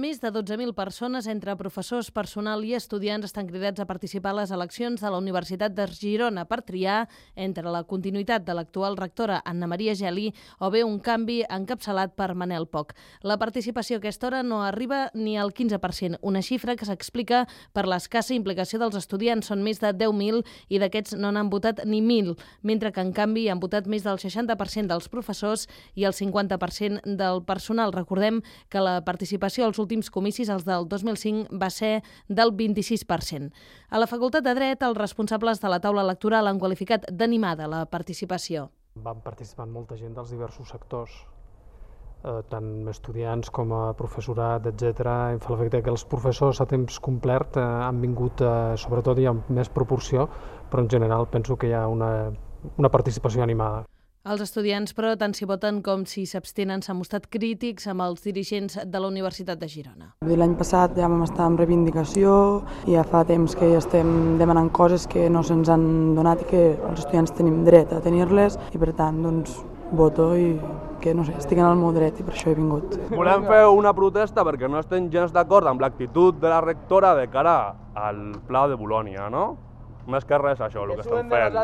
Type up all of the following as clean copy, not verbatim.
Més de 12.000 persones, entre professors, personal i estudiants, estan cridats a participar a les eleccions de la Universitat de Girona per triar entre la continuïtat de l'actual rectora Anna Maria Geli o bé un canvi encapçalat per Manel Poch. La participació a aquesta hora no arriba ni al 15%, una xifra que s'explica per l'escassa implicació dels estudiants. Són més de 10.000 i d'aquests no n'han votat ni 1.000, mentre que en canvi han votat més del 60% dels professors i el 50% del personal. Recordem que la participació als últims comicis, els del 2005, va ser del 26%. A la Facultat de Dret, els responsables de la taula electoral han qualificat d'animada la participació. Van participar molta gent dels diversos sectors, tant estudiants com a professorat, etc. Em fa l'efecte que els professors a temps complet han vingut, sobretot i amb més proporció, però en general penso que hi ha una participació animada. Els estudiants, però, tant si voten com si s'abstenen, s'han mostrat crítics amb els dirigents de la Universitat de Girona. L'any passat ja vam estar en reivindicació i ja fa temps que estem demanant coses que no se'ns han donat i que els estudiants tenim dret a tenir-les i, per tant, doncs, voto i que, no sé, estic en el meu dret i per això he vingut. Volem fer una protesta perquè no estem gens d'acord amb l'actitud de la rectora de cara al Pla de Bolònia, no? Més que res això, el que estan fent.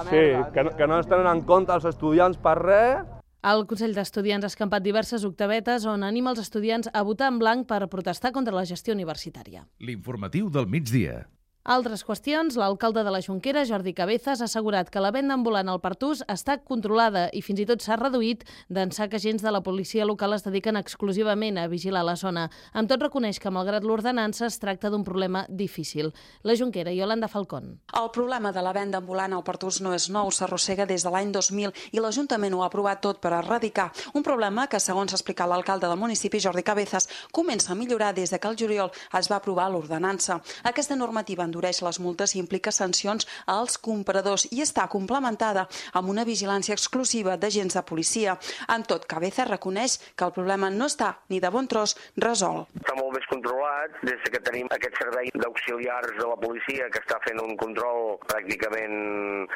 Sí, que no es tenen en compte els estudiants per res. El Consell d'Estudiants ha escampat diverses octavetes on anima els estudiants a votar en blanc per protestar contra la gestió universitària. L'informatiu del migdia. Altres qüestions, l'alcalde de la Jonquera, Jordi Cabezas, ha assegurat que la venda ambulant al Pertús està controlada i fins i tot s'ha reduït d'ençà que agents de la policia local es dediquen exclusivament a vigilar la zona. Amb tot reconeix que, malgrat l'ordenança, es tracta d'un problema difícil. La Jonquera, Yolanda Falcón. El problema de la venda ambulant al Pertús no és nou, s'arrossega des de l'any 2000 i l'Ajuntament ho ha aprovat tot per erradicar. Un problema que, segons ha explicat l'alcalde del municipi, Jordi Cabezas, comença a millorar des que el juliol es va aprovar l'ordenança. Aquesta normativa endureix les multes i implica sancions als compradors i està complementada amb una vigilància exclusiva d'agents de policia. Amb tot, Cabezas reconeix que el problema no està ni de bon tros resolt. Està molt més controlat des que tenim aquest servei d'auxiliars de la policia que està fent un control pràcticament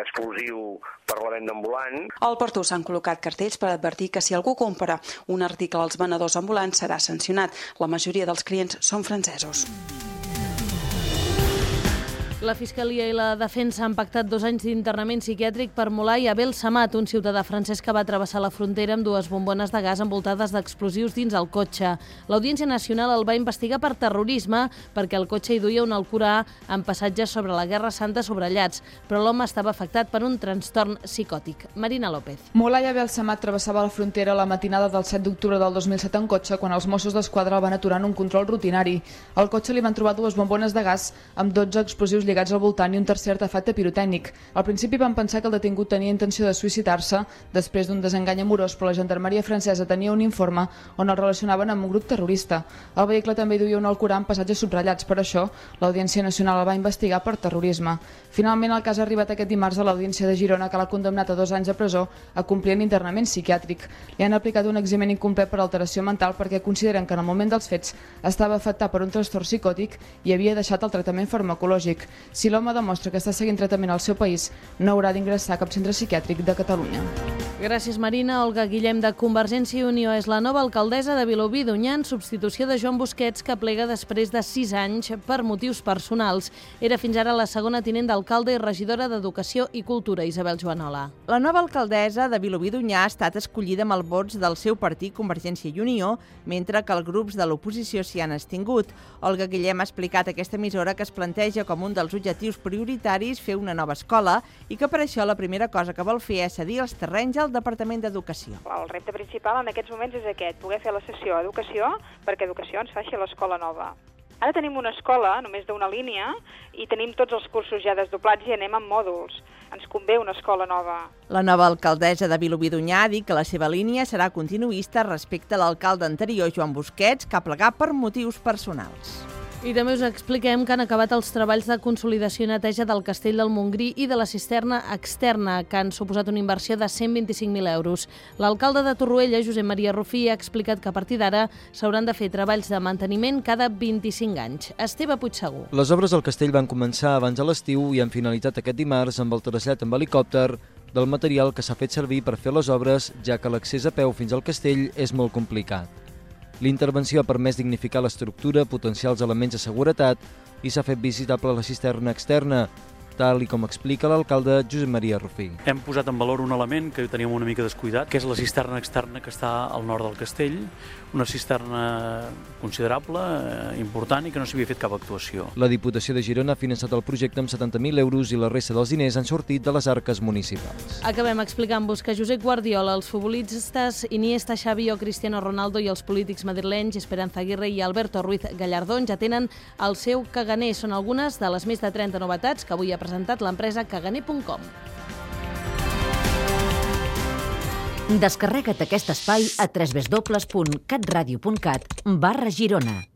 exclusiu per la venda ambulant. Al Pertús s'han col·locat cartells per advertir que si algú compra un article als venedors ambulants serà sancionat. La majoria dels clients són francesos. La Fiscalia i la Defensa han pactat 2 anys d'internament psiquiàtric per Moulay Abel Samad, un ciutadà francès que va travessar la frontera amb 2 bombones de gas envoltades d'explosius dins el cotxe. L'Audiència Nacional el va investigar per terrorisme perquè el cotxe hi duia un Alcorà amb passatges sobre la Guerra Santa sobrellats, però l'home estava afectat per un trastorn psicòtic. Marina López. Moulay Abel Samad travessava la frontera la matinada del 7 d'octubre del 2007 en cotxe quan els Mossos d'Esquadra el van aturar en un control rutinari. Al cotxe li van trobar 2 bombones de gas amb 12 explosius lligats al voltant i un tercer artefacte pirotècnic. Al principi van pensar que el detingut tenia intenció de suïcidar-se després d'un desengany amorós, però la gendarmeria francesa tenia un informe on el relacionaven amb un grup terrorista. El vehicle també duia un Alcorà amb passatges subratllats, per això l'Audiència Nacional el va investigar per terrorisme. Finalment, el cas ha arribat aquest dimarts a l'Audiència de Girona, que l'ha condemnat a 2 anys de presó a complir en internament psiquiàtric. Li han aplicat un examen incomplet per alteració mental perquè consideren que en el moment dels fets estava afectat per un trastorn psicòtic i havia deixat el tractament farmacològic. Si l'home demostra que està seguint tractament al seu país, no haurà d'ingressar a cap centre psiquiàtric de Catalunya. Gràcies, Marina. Olga Guillem, de Convergència i Unió, és la nova alcaldessa de Vilobí d'Onyar en substitució de Joan Busquets, que plega després de 6 anys per motius personals. Era fins ara la segona tinent d'alcalde i regidora d'Educació i Cultura, Isabel Joanola. La nova alcaldessa de Vilobí d'Onyar ha estat escollida amb els vots del seu partit, Convergència i Unió, mentre que els grups de l'oposició s'hi han abstingut. Olga Guillem ha explicat a aquesta emissora que es planteja com un dels objectius prioritaris fer una nova escola i que per això la primera cosa que vol fer és cedir els terrenys al Departament d'Educació. El repte principal en aquests moments és aquest, poder fer la sessió a Educació perquè Educació ens faci l'escola nova. Ara tenim una escola només d'una línia i tenim tots els cursos ja desdoblats i anem amb mòduls. Ens convé una escola nova. La nova alcaldessa de Vilobí d'Onyar ha dit que la seva línia serà continuista respecte a l'alcalde anterior, Joan Busquets, que ha plegat per motius personals. I també us expliquem que han acabat els treballs de consolidació i neteja del Castell del Montgrí i de la cisterna externa, que han suposat una inversió de 125.000 euros. L'alcalde de Torroella, Josep Maria Rufí, ha explicat que a partir d'ara s'hauran de fer treballs de manteniment cada 25 anys. Esteve Puigsegur. Les obres al castell van començar abans de l'estiu i han finalitzat aquest dimarts amb el trasllat amb helicòpter del material que s'ha fet servir per fer les obres, ja que l'accés a peu fins al castell és molt complicat. L'intervenció ha permès dignificar l'estructura, potenciar els elements de seguretat i s'ha fet visitable la cisterna externa, tal i com explica l'alcalde Josep Maria Rufí. Hem posat en valor un element que teníem una mica descuidat, que és la cisterna externa que està al nord del castell, una cisterna considerable, important i que no s'havia fet cap actuació. La Diputació de Girona ha finançat el projecte amb 70.000 euros i la resta dels diners han sortit de les arques municipals. Acabem explicant-vos que Josep Guardiola, els futbolistes Iniesta, Xavi o Cristiano Ronaldo i els polítics madrilenys Esperanza Aguirre i Alberto Ruiz Gallardón ja tenen el seu caganer. Són algunes de les més de 30 novetats que avui ha presentat l'empresa caganer.com. Descarrega't aquest espai a www.catradio.cat/Girona.